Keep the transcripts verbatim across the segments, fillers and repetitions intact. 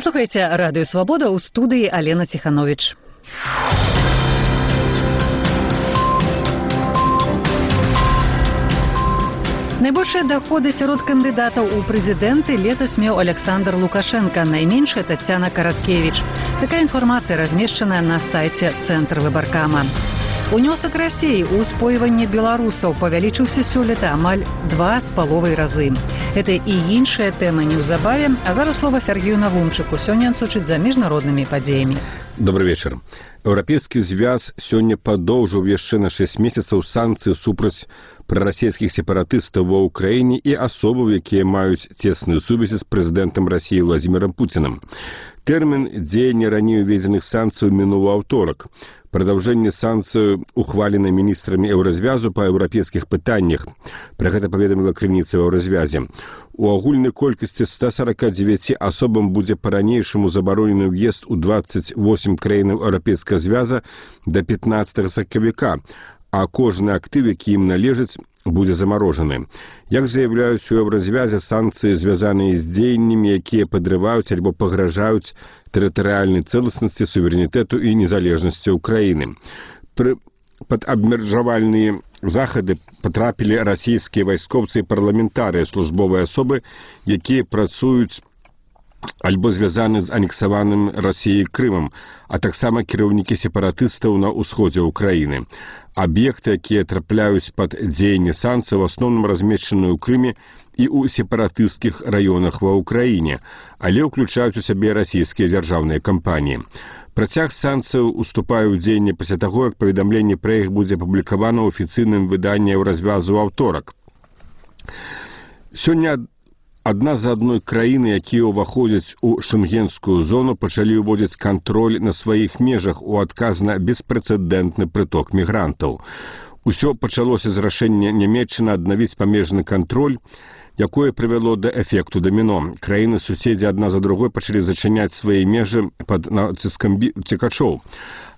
Вы слухаеце радыё Свабода, ў студыі Алена Ціхановіч. Найбольшыя даходы сярод кандыдатаў у прэзідэнты летась меў Александр Лукашенко, найменшая Таццяна Караткевіч. Такая інфармацыя размешчаная на сайце Цэнтр выбаркама. Унёсак Расіі ў спойванне беларусаў павялічыўся сёлета амаль два з паловай разы. Гэта і іншая тэма неўзабаве, а зараз слова Сергею Навумчыку. Сёння ён сочыць за міжнароднымі падзеямі. Добрый вечер. Еўрапейскі звяз сёння падоўжыў яшчэ на шэсць месяцаў санкцыі супраць прарасійскіх сепаратыстаў ва ўкраіне і асобаў, якія маюць цесныя сувязі з прэзідэнтам Расіі Владзімірам Пуцінам. Тэрмін дзеяння раней уведзеных санкцый мінуў аўторак. Прадаўжэнне санкцыяў ухвалена міністрамі еўразвязу па еўрапейскіх пытаннях. Пра гэта паведаміла крыніца ў еўразвязе. У агульнай колькасці ста сорока девяти асобам будзе па-ранейшаму забаронены ўезд у двадцать восемь краінаў еўрапейскага звяза да пятнадцатага сакавіка, а кожны актыв, які ім належыць, будзе замарожаны. Як заяўляюць у еўразвязе, санкцыі звязаныя з дзеяннямі, якія падрываюць альбо пагражаюць тэрытарыяльнай цэласнасці, суверэнітэту і незалежнасці ўкраіны. Пры... Пад абмежавальныя захады патрапілі расійскія вайскоўцы і парламентарыя, службовыя асобы, якія працуюць альбо звязаны з анексаваным Расіяй Крымам, а таксама кіраўнікі сепаратыстаў на ўсходзе ўкраіны. Аб'екты, якія трапляюць пад дзеянне санкцый, в асноўным размешчаны ў Крыме і ў сепаратысцкіх раёнах ва ўкраіне, але ўключаюць у сябе расійскія дзяржаўныя кампаніі. Працяг санкцыяў уступае ў дзеянне пасля таго, як паведамленне пра іх будзе апублікавана ў афіцыйным выданні еўразвязу ў аўторак. Сёння адна за адной краіны, якія ўваходзяць у шэнгенскую зону, пачалі ўводзіць кантроль на сваіх межах у адказ на беспрэцэдэнтны прыток мігрантаў. Усё пачалося з рашэння Нямецчыны аднавіць памежны кантроль, якое прывяло да эфекту даміно. Краіны-суседзі адна за другой пачалі зачыняць свае межы пад націскам цікачоў.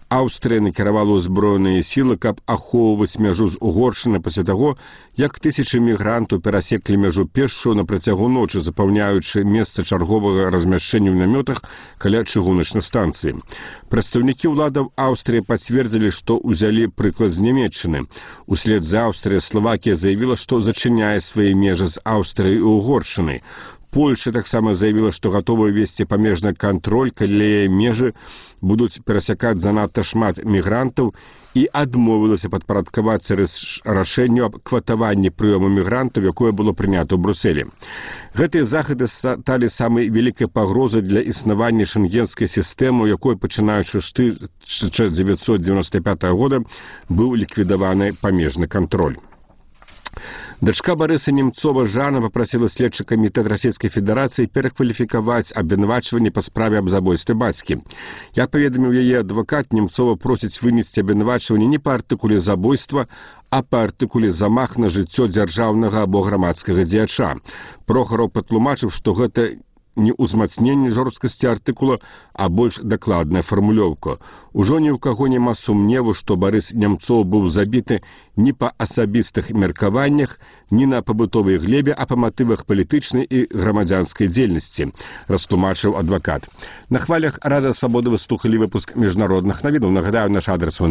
Аўстрыя накіравала ўзброеныя сілы, каб ахоўваць мяжу з Угоршчынай пасля таго, як тысячы мігрантаў перасеклі мяжу пешшу на працягу ночы, запаўняючы месца чарговага размяшчэння ў намётах каля чыгуначнай станцыі. Прадстаўнікі ўладаў Аўстрыі пацвердзілі, што ўзялі прыклад з Нямецчыны. Услед за Аўстрыяй Славакія заявіла, што зачыняе свае межы з Аўстрыяй і Угоршчынай. Польша таксама заявіла, што гатова весці памежны кантроль, калі яе межы будуць перасякаць занадта шмат мігрантаў, і адмовілася падпарадкавацца рашэнню аб кватаванні прыёму мігрантаў, якое было прынята ў Брусэлі. Гэтыя захады сталі самай вялікай пагрозай для існавання шэнгенскай сістэмы, у якой, пачынаючы з тысяча дзевяцьсот дзевяносто пятага года, быў ліквідаваны памежны кантроль. Дачка Барыса Немцова Жанна папрасіла следчы камітэт Расійскай Федэрацыі перакваліфікаваць абвінавачванне па справе аб забойстве бацькі. Як паведаміў яе адвакат, Немцова просіць вынесці абвінавачванне не па артыкуле забойства, а па артыкуле замах на жыццё дзяржаўнага або грамадскага дзеяча. Прохараў патлумачыў, што гэта не ўзмацненне жорсткасці артыкула, а больш дакладная фармулёўка. Ужо ні ў каго няма сумневу, што Барыс Немцоў быў забіты не па асабістых меркаваннях, не на пабытовай глебе, а па матывах палітычнай і грамадзянскай дзейнасці, растлумачыў адвакат. На хвалях Радыё Свабода вы слухалі выпуск міжнародных навінаў. Нагадаю, наш адрес у